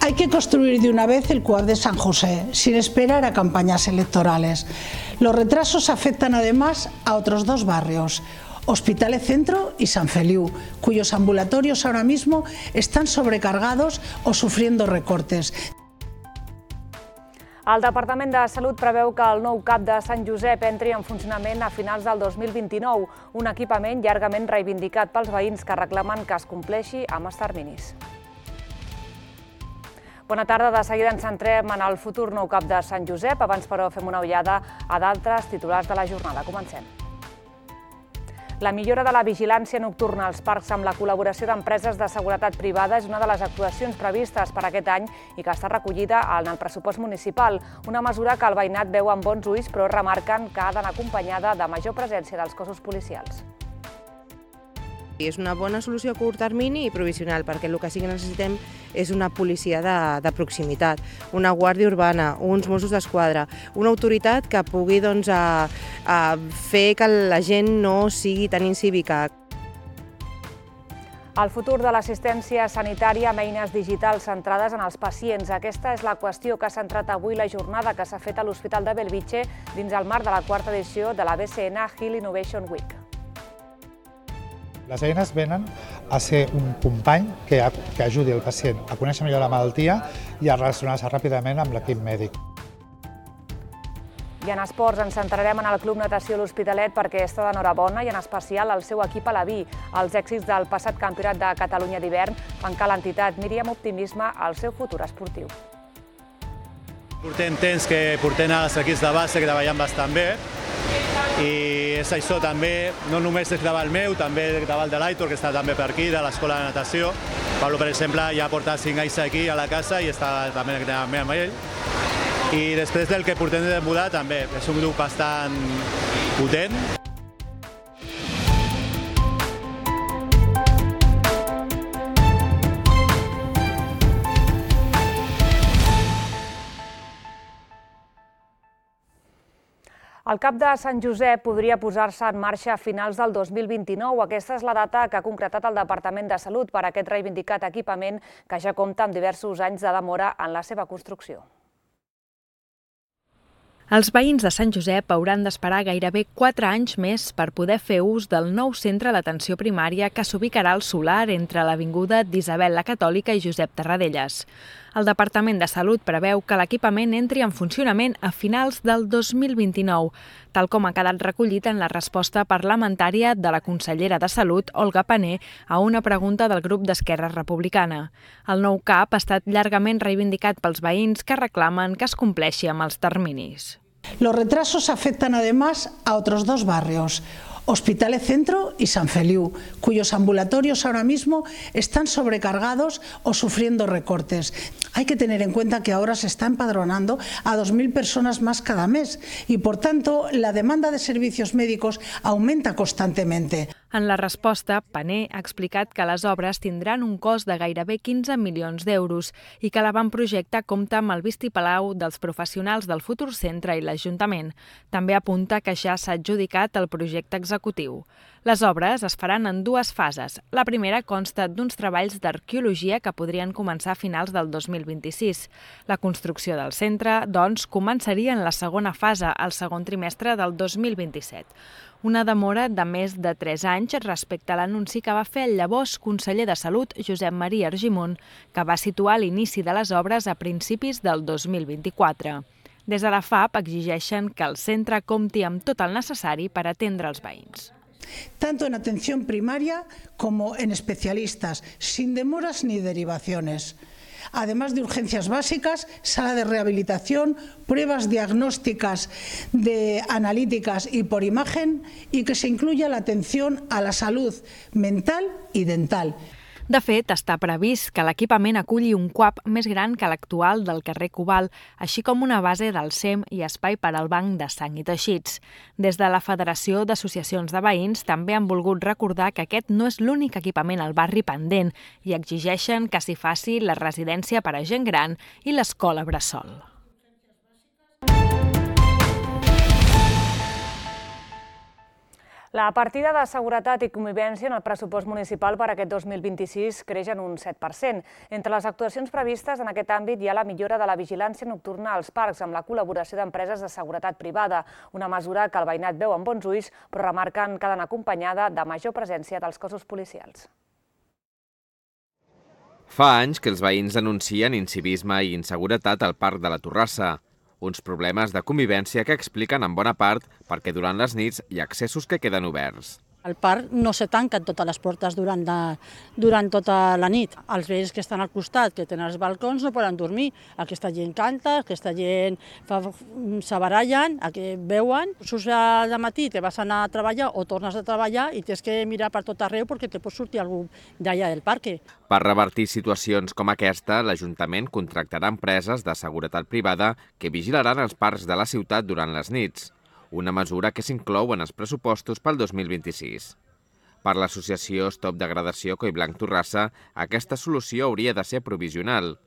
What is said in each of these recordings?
Hay que construir de una vez el CUAP de San José, sin esperar a campañas electorales. Los retrasos afectan además a otros dos barrios, Hospitalet Centro y Sant Feliu, cuyos ambulatorios ahora mismo están sobrecargados o sufriendo recortes. El Departament de Salut preveu que el nou CAP de Sant Josep entri en funcionament a finals del 2029, un equipament llargament reivindicat pels veïns que reclamen que es compleixi amb els terminis. Bona tarda, de seguida ens centrem en el futur nou CAP de Sant Josep. Abans, però, fem una ullada a d'altres titulars de la jornada. Comencem. La millora de la vigilància nocturna als parcs amb la col·laboració d'empreses de seguretat privada és una de les actuacions previstes per aquest any i que està recollida en el pressupost municipal, una mesura que el veïnat veu amb bons ulls, però remarquen que ha d'anar acompanyada de major presència dels cossos policials. És una bona solució a curt termini i provisional, perquè el que sí que necessitem és una policia de proximitat, una guàrdia urbana, uns Mossos d'Esquadra, una autoritat que pugui fer que la gent no sigui tan incívica. El futur de l'assistència sanitària amb eines digitals centrades en els pacients. Aquesta és la qüestió que ha centrat avui la jornada que s'ha fet a l'Hospital de Bellvitge dins el marc de la quarta edició de la BCN Health Innovation Week. Les eines venen a ser un company que ajudi el pacient a conèixer millor la malaltia i a relacionar-se ràpidament amb l'equip mèdic. I en esports ens centrarem en el Club Natació L'Hospitalet perquè està d'enhorabona i en especial el seu equip alaví. Els èxits del passat Campionat de Catalunya d'hivern fan que l'entitat miri amb optimisme al seu futur esportiu. Portem temps que portem els equips de base que treballen bastant bé i és això també, no només és gravar el meu, també gravar el de l'Aitor, que està també per aquí, de l'escola de natació. Pablo, per exemple, ja porta 5 anys aquí a la casa i està també amb ell. I després del que portem de mudar també, és un grup bastant potent. El CAP de Sant Josep podria posar-se en marxa a finals del 2029. Aquesta és la data que ha concretat el Departament de Salut per a aquest reivindicat equipament que ja compta amb diversos anys de demora en la seva construcció. Els veïns de Sant Josep hauran d'esperar gairebé 4 anys més per poder fer ús del nou centre d'atenció primària que s'ubicarà al Solar entre l'avinguda d'Isabel la Catòlica i Josep Tarradellas. El Departament de Salut preveu que l'equipament entri en funcionament a finals del 2029, tal com ha quedat recollit en la resposta parlamentària de la consellera de Salut, Olga Pané, a una pregunta del grup d'Esquerra Republicana. El nou CAP ha estat llargament reivindicat pels veïns que reclamen que es compleixi amb els terminis. Los retrasos afectan además a otros dos barrios, Hospitalet Centro y Sant Feliu, cuyos ambulatorios ahora mismo están sobrecargados o sufriendo recortes. Hay que tener en cuenta que ahora se está empadronando a 2.000 personas más cada mes y, por tanto, la demanda de servicios médicos aumenta constantemente. En la resposta, Pané ha explicat que les obres tindran un cost de gairebé 15 milions d'euros i que l'avantprojecte compta amb el vistiplau dels professionals del futur centre i l'Ajuntament. També apunta que ja s'ha adjudicat el projecte executiu. Les obres es faran en 2 fases. La primera consta d'uns treballs d'arqueologia que podrien començar a finals del 2026. La construcció del centre, doncs, començaria en la segona fase, al segon trimestre del 2027. Una demora de més de 3 anys respecte a l'anunci que va fer el llavors conseller de Salut, Josep Maria Argimon, que va situar l'inici de les obres a principis del 2024. Des de la FAP exigeixen que el centre compti amb tot el necessari per atendre els veïns. Tanto en atención primaria como en especialistas, sin demoras ni derivaciones. Además de urgencias básicas, sala de rehabilitación, pruebas diagnósticas analíticas y por imagen, y que se incluya la atención a la salud mental y dental. De fet, està previst que l'equipament aculli un CUAP més gran que l'actual del carrer Cobalt, així com una base del SEM i espai per al banc de sang i teixits. Des de la Federació d'Associacions de Veïns també han volgut recordar que aquest no és l'únic equipament al barri pendent i exigeixen que s'hi faci la residència per a gent gran i l'escola bressol. La partida de seguretat i convivència en el pressupost municipal per a aquest 2026 creix en un 7%. Entre les actuacions previstes en aquest àmbit hi ha la millora de la vigilància nocturna als parcs amb la col·laboració d'empreses de seguretat privada, una mesura que el veïnat veu amb bons ulls, però remarquen que ha d'anar acompanyada de major presència dels cossos policials. Fa anys que els veïns denuncien incivisme i inseguretat al Parc de la Torrassa. Uns problemes de convivència que expliquen en bona part perquè durant les nits hi ha accessos que queden oberts. El parc no se tanquen totes les portes durant tota la nit. Els veïns que estan al costat, que tenen els balcons, no poden dormir. Aquesta gent canta, aquesta gent se barallen, veuen. Surts al matí, te vas anar a treballar o tornes a treballar i tens que mirar per tot arreu perquè te pot sortir algú d'allà del parc. Per revertir situacions com aquesta, l'Ajuntament contractarà empreses de seguretat privada que vigilaran els parcs de la ciutat durant les nits, una mesura que s'inclou en els pressupostos pel 2026. Per l'associació Stop Degradació Collblanc Torrassa, aquesta solució hauria de ser provisional.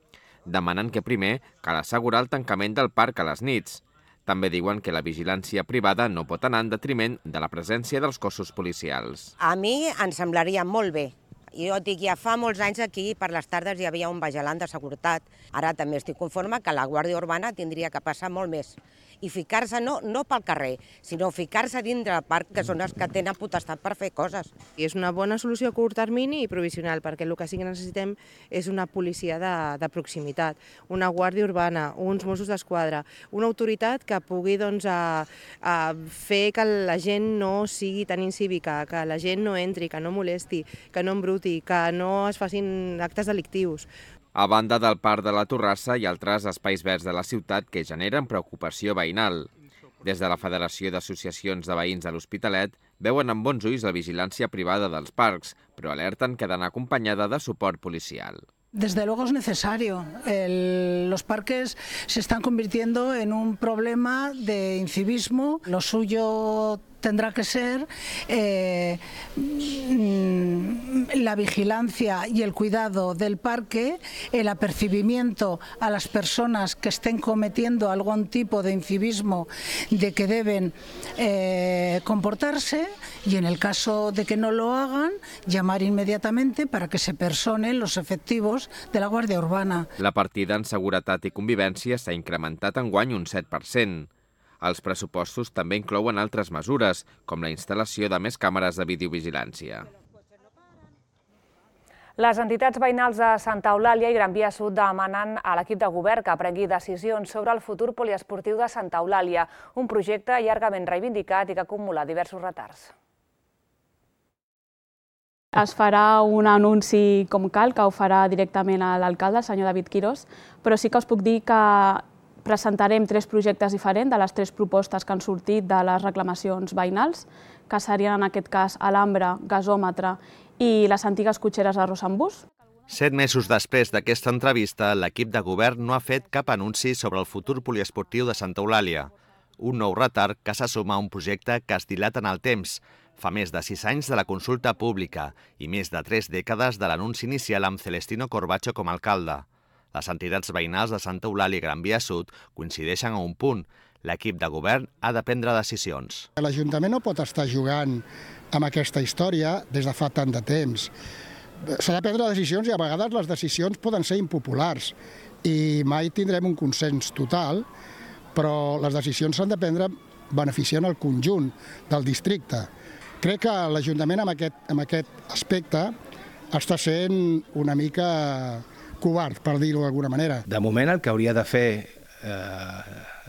Demanen que primer cal assegurar el tancament del parc a les nits. També diuen que la vigilància privada no pot anar en detriment de la presència dels cossos policials. A mi em semblaria molt bé. Jo et dic, ja fa molts anys aquí per les tardes hi havia un vigilant de seguretat. Ara també estic conforme que la Guàrdia Urbana tindria que passar molt més. I ficar-se no pel carrer, sinó ficar-se dintre del parc, que són els que tenen potestat per fer coses. I és una bona solució a curt termini i provisional, perquè el que sí que necessitem és una policia de proximitat, una Guàrdia Urbana, uns Mossos d'Esquadra, una autoritat que pugui fer que la gent no sigui tan incívica, que la gent no entri, que no molesti, que no embruti, que no es facin actes delictius. A banda del Parc de la Torrassa hi ha altres espais verds de la ciutat que generen preocupació veïnal. Des de la Federació d'Associacions de Veïns de l'Hospitalet veuen amb bons ulls la vigilància privada dels parcs, però alerten que ha d'anar acompanyada de suport policial. Desde luego es necesario. Los parques se están convirtiendo en un problema de incivismo. Lo suyo tendrá que ser la vigilancia y el cuidado del parque, el apercibimiento a las personas que estén cometiendo algún tipo de incivismo de que deben comportarse y en el caso de que no lo hagan, llamar inmediatamente para que se personen los efectivos de la Guàrdia Urbana. La partida en seguretat i convivència s'ha incrementat enguany un 7%. Els pressupostos també inclouen altres mesures, com la instal·lació de més càmeres de videovigilància. Les entitats veïnals de Santa Eulàlia i Gran Via Sud demanen a l'equip de govern que prengui decisions sobre el futur poliesportiu de Santa Eulàlia, un projecte llargament reivindicat i que acumula diversos retards. Es farà un anunci com cal, que ho farà directament l'alcalde, el senyor David Quirós, però sí que us puc dir que presentarem 3 projectes diferents de les 3 propostes que han sortit de les reclamacions veïnals, que serien en aquest cas alambre, gasòmetre i les antigues cotxeres de Rosambús. 7 mesos després d'aquesta entrevista, l'equip de govern no ha fet cap anunci sobre el futur poliesportiu de Santa Eulàlia. Un nou retard que se suma a un projecte que es dilata en el temps. Fa més de 6 anys de la consulta pública i més de 3 dècades de l'anunci inicial amb Celestino Corbacho com a alcalde. Les entitats veïnals de Santa Eulàlia i Gran Via Sud coincideixen a un punt. L'equip de govern ha de prendre decisions. L'Ajuntament no pot estar jugant amb aquesta història des de fa tant de temps. S'ha de prendre decisions i a vegades les decisions poden ser impopulars i mai tindrem un consens total, però les decisions s'han de prendre beneficiant el conjunt del districte. Crec que l'Ajuntament en aquest aspecte està sent una mica covard, per dir-ho d'alguna manera. De moment el que hauria de fer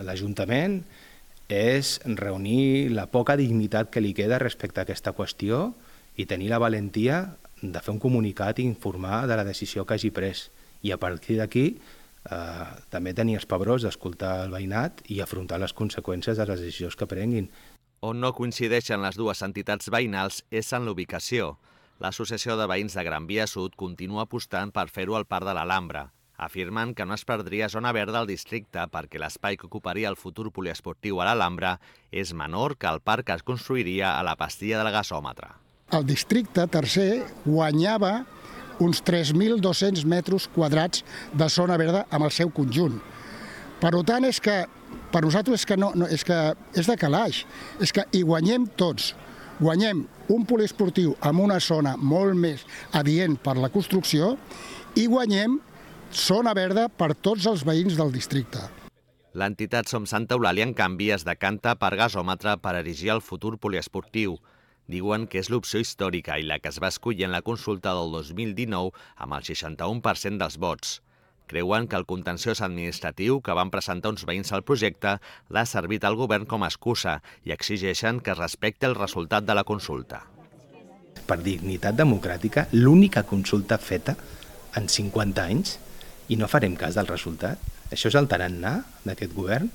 l'Ajuntament és reunir la poca dignitat que li queda respecte a aquesta qüestió i tenir la valentia de fer un comunicat i informar de la decisió que hagi pres. I a partir d'aquí també tenir els pebrots d'escoltar el veïnat i afrontar les conseqüències de les decisions que prenguin. On no coincideixen les dues entitats veïnals és en l'ubicació. L'Associació de Veïns de Gran Via Sud continua apostant per fer-ho al Parc de l'Alhambra. Afirmen que no es perdria zona verda al districte perquè l'espai que ocuparia el futur poliesportiu a l'Alhambra és menor que el parc que es construiria a la pastilla del gasòmetre. El districte tercer guanyava uns 3.200 metres quadrats de zona verda amb el seu conjunt. Per tant, per nosaltres és de calaix, és que hi guanyem tots. Guanyem un poliesportiu en una zona molt més adient per la construcció i guanyem zona verda per tots els veïns del districte. L'entitat Som Santa Eulàlia, en canvi, es decanta per gasòmetre per erigir el futur poliesportiu. Diuen que és l'opció històrica i la que es va escollir en la consulta del 2019 amb el 61% dels vots. Creuen que el contenciós administratiu que van presentar uns veïns al projecte l'ha servit al govern com a excusa i exigeixen que es respecti el resultat de la consulta. Per dignitat democràtica, l'única consulta feta en 50 anys i no farem cas del resultat. Això és el tarannà d'aquest govern?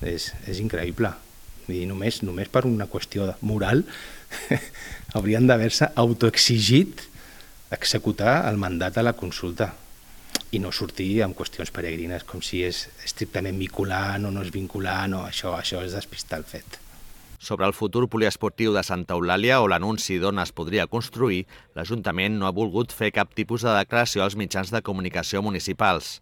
És increïble. I només per una qüestió moral haurien d'haver-se autoexigit executar el mandat de la consulta i no sortir amb qüestions peregrines com si és estrictament vinculant o no és vinculant, o això és despistar el fet. Sobre el futur poliesportiu de Santa Eulàlia o l'anunci d'on es podria construir, l'Ajuntament no ha volgut fer cap tipus de declaració als mitjans de comunicació municipals.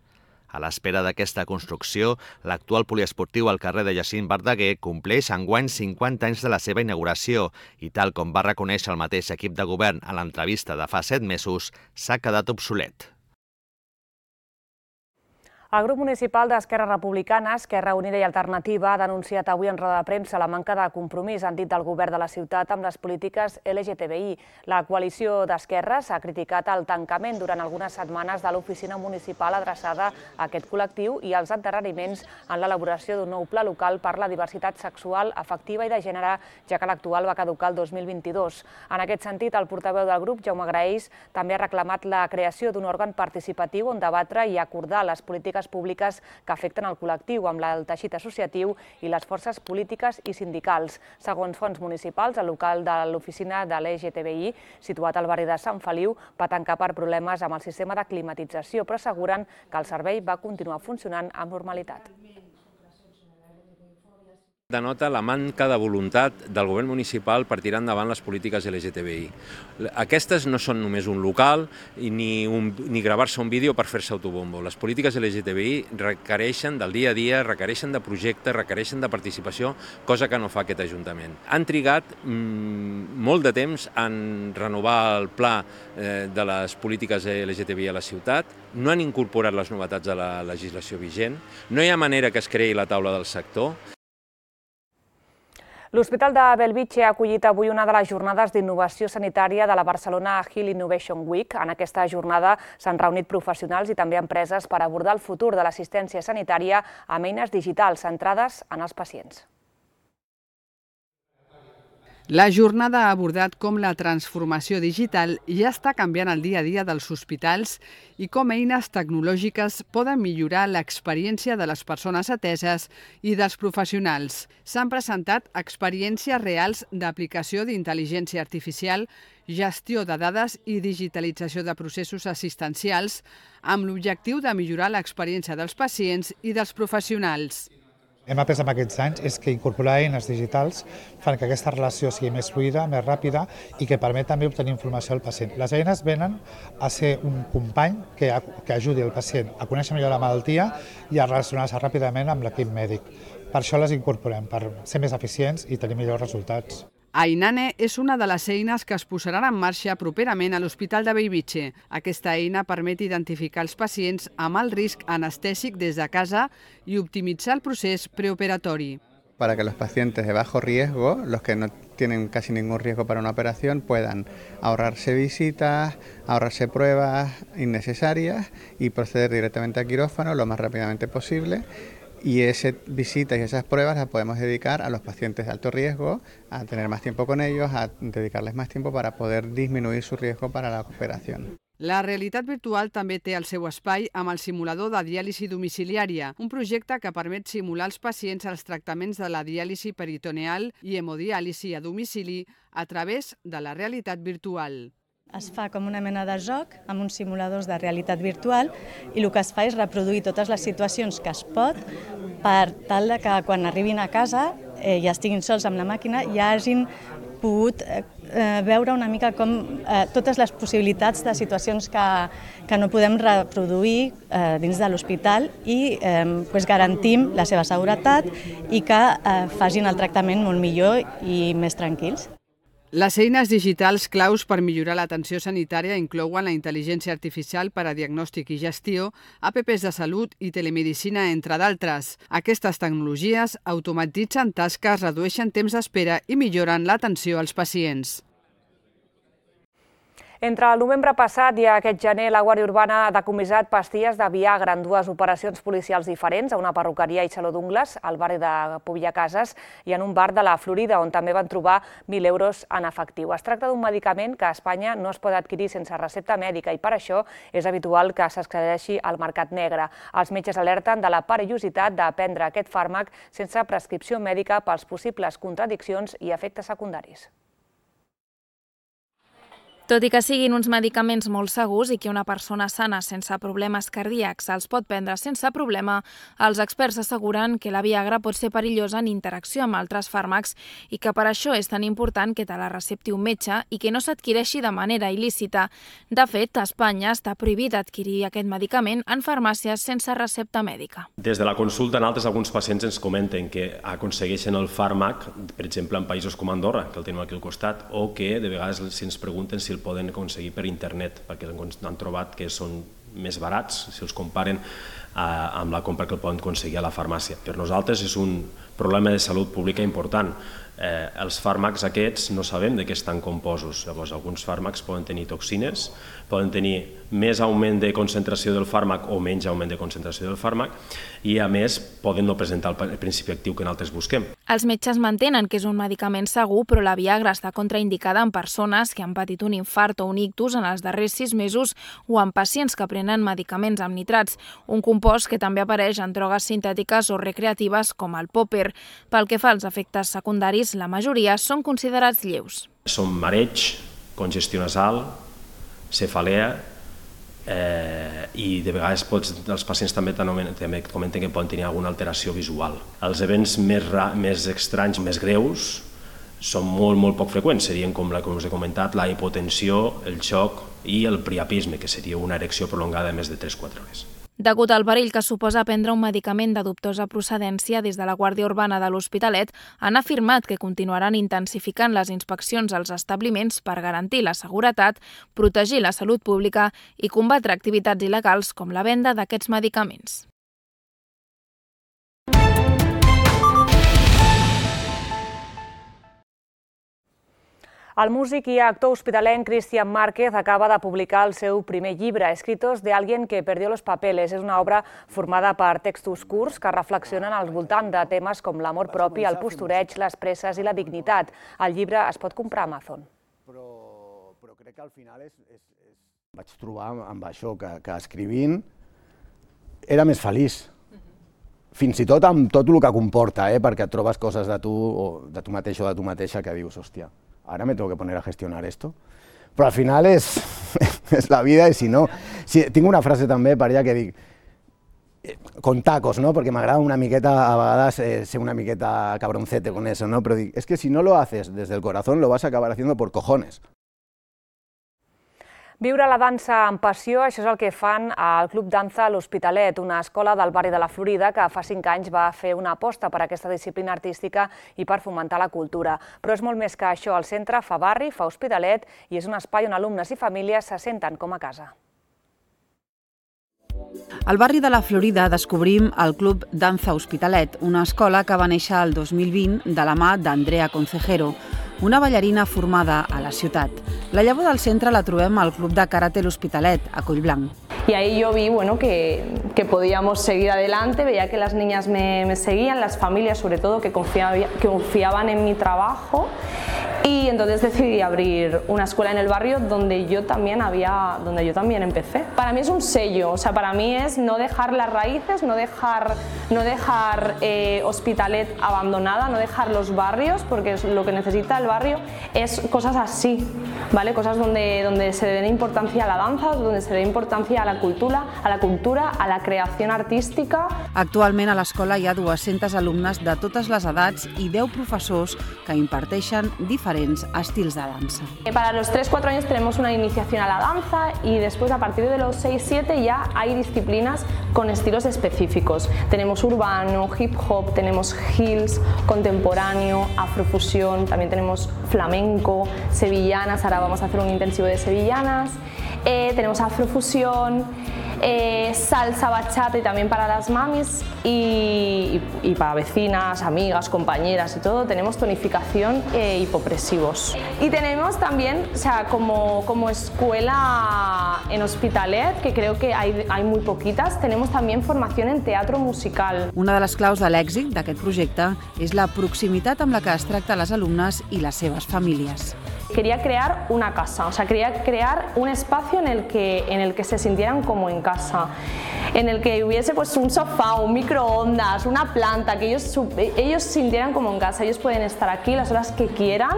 A l'espera d'aquesta construcció, l'actual poliesportiu al carrer de Jacint Verdaguer compleix enguany 50 anys de la seva inauguració i, tal com va reconèixer el mateix equip de govern a l'entrevista de fa 7 mesos, s'ha quedat obsolet. El grup municipal d'Esquerra Republicana, Esquerra Unida i Alternativa ha denunciat avui en roda de premsa la manca de compromís, han dit, del govern de la ciutat amb les polítiques LGTBI. La coalició d'esquerres ha criticat el tancament durant algunes setmanes de l'oficina municipal adreçada a aquest col·lectiu i els endarreriments en l'elaboració d'un nou pla local per la diversitat sexual, afectiva i de gènere, ja que l'actual va caducar el 2022. En aquest sentit, el portaveu del grup, Jaume Graells, també ha reclamat la creació d'un òrgan participatiu on debatre i acordar les polítiques públiques que afecten el col·lectiu amb el teixit associatiu i les forces polítiques i sindicals. Segons fonts municipals, el local de l'oficina de l'LGTBI, situat al barri de Sant Feliu, va tancar per problemes amb el sistema de climatització, però asseguren que el servei va continuar funcionant amb normalitat. Denota la manca de voluntat del govern municipal per tirar endavant les polítiques LGTBI. Aquestes no són només un local ni gravar-se un vídeo per fer-se autobombo. Les polítiques LGTBI requereixen del dia a dia, requereixen de projectes, requereixen de participació, cosa que no fa aquest Ajuntament. Han trigat molt de temps en renovar el pla de les polítiques LGTBI a la ciutat, no han incorporat les novetats de la legislació vigent, no hi ha manera que es creï la taula del sector. L'Hospital de Bellvitge ha acollit avui una de les jornades d'innovació sanitària de la Barcelona Health Innovation Week. En aquesta jornada s'han reunit professionals i també empreses per abordar el futur de l'assistència sanitària amb eines digitals centrades en els pacients. La jornada ha abordat com la transformació digital ja està canviant el dia a dia dels hospitals i com eines tecnològiques poden millorar l'experiència de les persones ateses i dels professionals. S'han presentat experiències reals d'aplicació d'intel·ligència artificial, gestió de dades i digitalització de processos assistencials amb l'objectiu de millorar l'experiència dels pacients i dels professionals. Hem après en aquests anys és que incorporar eines digitals fan que aquesta relació sigui més fluida, més ràpida i que permet també obtenir informació al pacient. Les eines venen a ser un company que ajudi el pacient a conèixer millor la malaltia i a relacionar-se ràpidament amb l'equip mèdic. Per això les incorporem, per ser més eficients i tenir millors resultats. Ainane és una de les eines que es posaran en marxa properament a l'Hospital de Bellvitge. Aquesta eina permet identificar els pacients amb alt risc anestèsic des de casa i optimitzar el procés preoperatori. Para que los pacientes de bajo riesgo, los que no tienen casi ningún riesgo para una operación, puedan ahorrarse visitas, ahorrarse pruebas innecesarias y proceder directamente al quirófano lo más rápidamente posible. Y esas visitas y esas pruebas las podemos dedicar a los pacientes de alto riesgo, a tener más tiempo con ellos, a dedicarles más tiempo para poder disminuir su riesgo para la operación. La realitat virtual també té el seu espai amb el simulador de diàlisi domiciliària, un projecte que permet simular als pacients els tractaments de la diàlisi peritoneal i hemodiàlisi a domicili a través de la realitat virtual. Es fa com una mena de joc amb uns simuladors de realitat virtual i el que es fa és reproduir totes les situacions que es pot per tal que quan arribin a casa i estiguin sols amb la màquina ja hagin pogut veure una mica com totes les possibilitats de situacions que no podem reproduir dins de l'hospital i garantim la seva seguretat i que facin el tractament molt millor i més tranquils. Les eines digitals claus per millorar l'atenció sanitària inclouen la intel·ligència artificial per a diagnòstic i gestió, apps de salut i telemedicina, entre d'altres. Aquestes tecnologies automatitzen tasques, redueixen temps d'espera i milloren l'atenció als pacients. Entre el novembre passat i aquest gener, la Guàrdia Urbana ha decomissat pastilles de Viagra en dues operacions policials diferents, a una perruqueria i saló d'ungles, al barri de Pubillacases, i en un bar de la Florida, on també van trobar 1.000 euros en efectiu. Es tracta d'un medicament que a Espanya no es pot adquirir sense recepta mèdica i per això és habitual que s'excedeixi al mercat negre. Els metges alerten de la perillositat de prendre aquest fàrmac sense prescripció mèdica pels possibles contradiccions i efectes secundaris. Tot i que siguin uns medicaments molt segurs i que una persona sana sense problemes cardíacs els pot prendre sense problema, els experts asseguren que la Viagra pot ser perillosa en interacció amb altres fàrmacs i que per això és tan important que te la recepti un metge i que no s'adquireixi de manera il·lícita. De fet, a Espanya està prohibit adquirir aquest medicament en farmàcies sense recepta mèdica. Des de la consulta, alguns pacients ens comenten que aconsegueixen el fàrmac, per exemple, en països com Andorra, que el tenim aquí al costat, o que de vegades si ens pregunten si el poden aconseguir per internet, perquè han trobat que són més barats si els comparen amb la compra que el poden aconseguir a la farmàcia. Per nosaltres és un problema de salut pública important. Els fàrmacs aquests no sabem de què estan composos. Llavors, alguns fàrmacs poden tenir toxines, poden tenir més augment de concentració del fàrmac o menys augment de concentració del fàrmac i, a més, poden no presentar el principi actiu que nosaltres busquem. Els metges mantenen que és un medicament segur, però la Viagra està contraindicada en persones que han patit un infart o un ictus en els darrers 6 mesos o en pacients que prenen medicaments amb nitrats, un compost que també apareix en drogues sintètiques o recreatives com el popper. Pel que fa als efectes secundaris, la majoria són considerats lleus. Són mareig, congestió nasal, cefalea i de vegades els pacients també comenten que poden tenir alguna alteració visual. Els events més estranys, més greus, són molt poc freqüents. Serien, com us he comentat, la hipotensió, el xoc i el priapisme, que seria una erecció prolongada de més de 3-4 hores. Degut al perill que suposa prendre un medicament de dubtosa procedència, des de la Guàrdia Urbana de l'Hospitalet han afirmat que continuaran intensificant les inspeccions als establiments per garantir la seguretat, protegir la salut pública i combatre activitats il·legals com la venda d'aquests medicaments. El músic i actor hospitalenc Cristian Márquez acaba de publicar el seu primer llibre, Escritos de alguien que perdió los papeles. És una obra formada per textos curts que reflexionen al voltant de temes com l'amor propi, el postureig, les presses i la dignitat. El llibre es pot comprar a Amazon. Però crec que al final vaig trobar amb això, que escrivint era més feliç. Fins i tot amb tot el que comporta, perquè et trobes coses de tu mateix o de tu mateixa que dius, hòstia, ahora me tengo que poner a gestionar esto. Però al final és la vida i si no... Tinc una frase també per allà que dic, con tacos, ¿no? Porque m'agrada una miqueta, a vegades, ser una miqueta cabroncete con eso, ¿no? Pero dic, es que si no lo haces desde el corazón, lo vas a acabar haciendo por cojones. Viure la dansa amb passió, això és el que fan al Club Danza a l'Hospitalet, una escola del barri de la Florida que fa 5 anys va fer una aposta per aquesta disciplina artística i per fomentar la cultura. Però és molt més que això, el centre fa barri, fa Hospitalet i és un espai on alumnes i famílies se senten com a casa. Al barri de la Florida descobrim el Club Danza Hospitalet, una escola que va néixer el 2020 de la mà d'Andrea Concejero, una ballarina formada a la ciutat. La llavor del centre la trobem al Club de Karate L'Hospitalet, a Collblanc. Y ahí yo vi que podíamos seguir adelante, veía que las niñas me seguían, las familias sobre todo, que confiaban en mi trabajo, y entonces decidí abrir una escuela en el barrio donde yo también empecé. Para mí es un sello, o sea, para mí es no dejar las raíces, no dejar Hospitalet abandonada, no dejar los barrios, porque lo que necesita el barrio es cosas así, ¿vale? Cosas donde se dé importancia a la danza, donde se dé importancia a la cultura, a la creació artística. Actualment a l'escola hi ha 200 alumnes de totes les edats i 10 professors que imparteixen diferents diferents estils de dansa. Para los 3-4 años tenemos una iniciación a la danza y después a partir de los 6-7 ya hay disciplinas con estilos específicos. Tenemos urbano, hip hop, tenemos heels, contemporáneo, afrofusión, también tenemos flamenco, sevillanas, ahora vamos a hacer un intensivo de sevillanas, tenemos afrofusión, salsa, bachata y también para las mamis y para vecinas, amigas, compañeras y todo, tenemos tonificación e hipopresivos. Y tenemos también, o sea, como escuela en Hospitalet, que creo que hay muy poquitas, tenemos también formación en teatro musical. Una de les claus de l'èxit d'aquest projecte és la proximitat amb la que es tracta les alumnes i les seves famílies. Quería crear una casa, o sea, quería crear un espacio en el que se sintieran como en casa, en el que hubiese pues un sofá, un microondas, una planta, que ellos sintieran como en casa. Ellos pueden estar aquí las horas que quieran.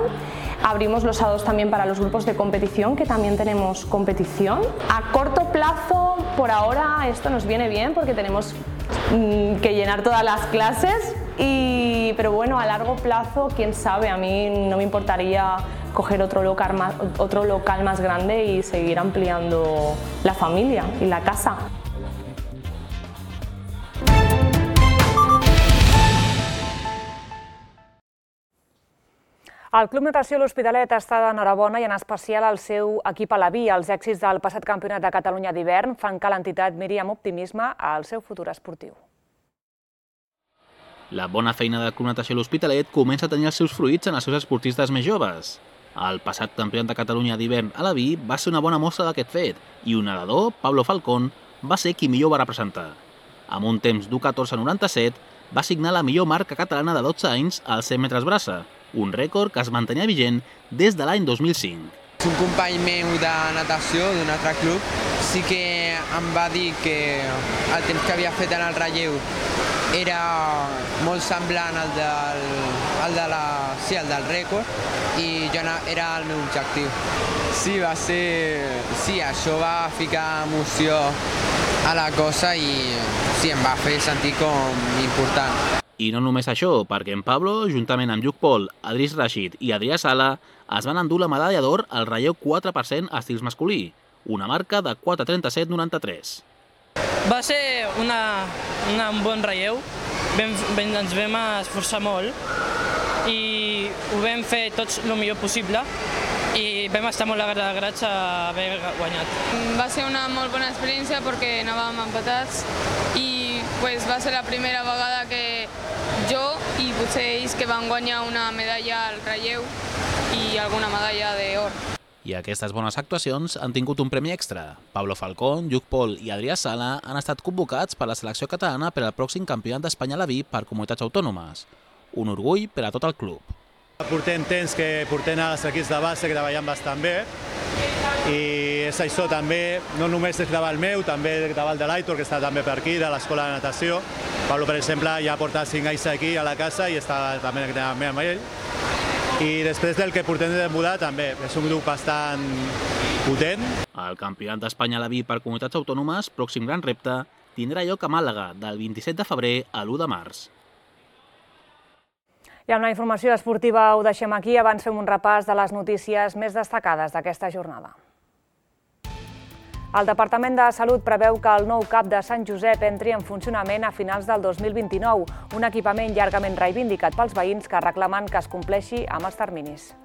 Abrimos los sábados también para los grupos de competición, que también tenemos competición. A corto plazo, por ahora, esto nos viene bien porque tenemos que llenar todas las clases, pero bueno, a largo plazo, quién sabe, a mí no me importaría coger otro local más grande y seguir ampliando la familia y la casa. El Club Natació L'Hospitalet està d'enhorabona i en especial el seu equip alabí. Els èxits del passat Campionat de Catalunya d'hivern fan que l'entitat miri amb optimisme al seu futur esportiu. La bona feina del Club Natació L'Hospitalet comença a tenir els seus fruits en els seus esportistes més joves. El passat Campionat de Catalunya d'hivern alabí va ser una bona mostra d'aquest fet i un nedador, Pablo Falcón, va ser qui millor va representar. Amb un temps d'1:14:97 va signar la millor marca catalana de 12 anys als 100 metres braça, un rècord que es mantenia vigent des de l'any 2005. Un company meu de natació d'un altre club sí que em va dir que el temps que havia fet en el relleu era molt semblant al del rècord i era el meu objectiu. Sí, això va ficar emoció a la cosa i sí, em va fer sentir com important. I no només això, perquè en Pablo, juntament amb Lluc Pol, Adris Rashid i Adrià Sala, es van endur la medalla d'or al relleu 4% estils masculí, una marca de 4:37:93. Va ser un bon relleu, ens vam esforçar molt i ho vam fer tots el millor possible i vam estar molt agraïts a haver guanyat. Va ser una molt bona experiència perquè anàvem empatats i va ser la primera vegada que jo i potser ells que van guanyar una medalla al relleu i alguna medalla d'or. I aquestes bones actuacions han tingut un premi extra. Pablo Falcón, Lluc Pol i Adrià Sala han estat convocats per la selecció catalana per al pròxim Campionat d'Espanya alabí per comunitats autònomes. Un orgull per a tot el club. Portem temps que portem els equips de base que treballen bastant bé i és això també, no només és gravar el meu, també gravar el de l'Aitor, que està també per aquí, de l'escola de natació. Pablo, per exemple, ja porta 5 anys aquí a la casa i està també amb ell. I després del que portem de mudar també, és un grup bastant potent. El Campionat d'Espanya alabí per comunitats autònomes, pròxim gran repte, tindrà lloc a Màlaga del 27 de febrer a l'1 de març. I amb la informació esportiva ho deixem aquí. Abans fem un repàs de les notícies més destacades d'aquesta jornada. El Departament de Salut preveu que el nou CAP de Sant Josep entri en funcionament a finals del 2029, un equipament llargament reivindicat pels veïns que reclamen que es compleixi amb els terminis.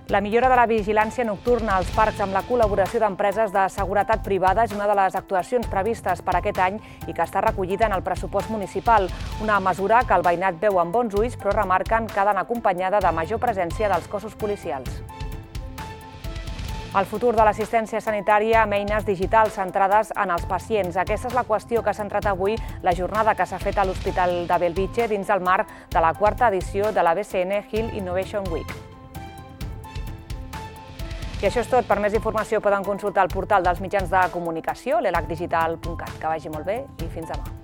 La millora de la vigilància nocturna als parcs amb la col·laboració d'empreses de seguretat privada és una de les actuacions previstes per aquest any i que està recollida en el pressupost municipal, una mesura que el veïnat veu amb bons ulls però remarquen que ha d'anar acompanyada de major presència dels cossos policials. El futur de l'assistència sanitària amb eines digitals centrades en els pacients. Aquesta és la qüestió que ha centrat avui la jornada que s'ha fet a l'Hospital de Bellvitge dins el marc de la 4ª edició de la BCN Health Innovation Week. I això és tot. Per més informació poden consultar el portal dels mitjans de comunicació, l'elacdigital.cat. Que vagi molt bé i fins demà.